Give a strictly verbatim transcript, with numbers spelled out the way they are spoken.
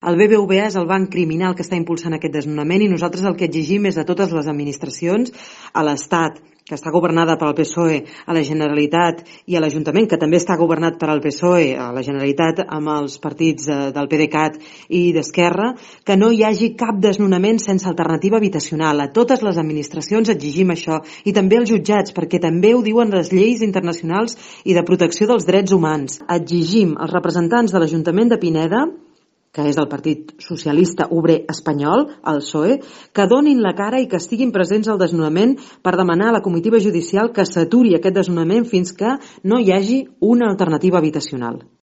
El B B V A és el banc criminal que està impulsant aquest desnonament i nosaltres el que exigim és a totes les administracions, a l'Estat, que està governada pel P S O E, a la Generalitat i a l'Ajuntament, que també està governat per al P S O E, a la Generalitat amb els partits del PDeCAT i d'Esquerra, que no hi hagi cap desnonament sense alternativa habitacional. A totes les administracions exigim això i també als jutjats, perquè també ho diuen les lleis internacionals i de protecció dels drets humans. Exigim als representants de l'Ajuntament de Pineda, que és del Partit Socialista Obrer Espanyol, el P S O E, que donin la cara i que estiguin presents al desnonament per demanar a la comitiva judicial que s'aturi aquest desnonament fins que no hi hagi una alternativa habitacional.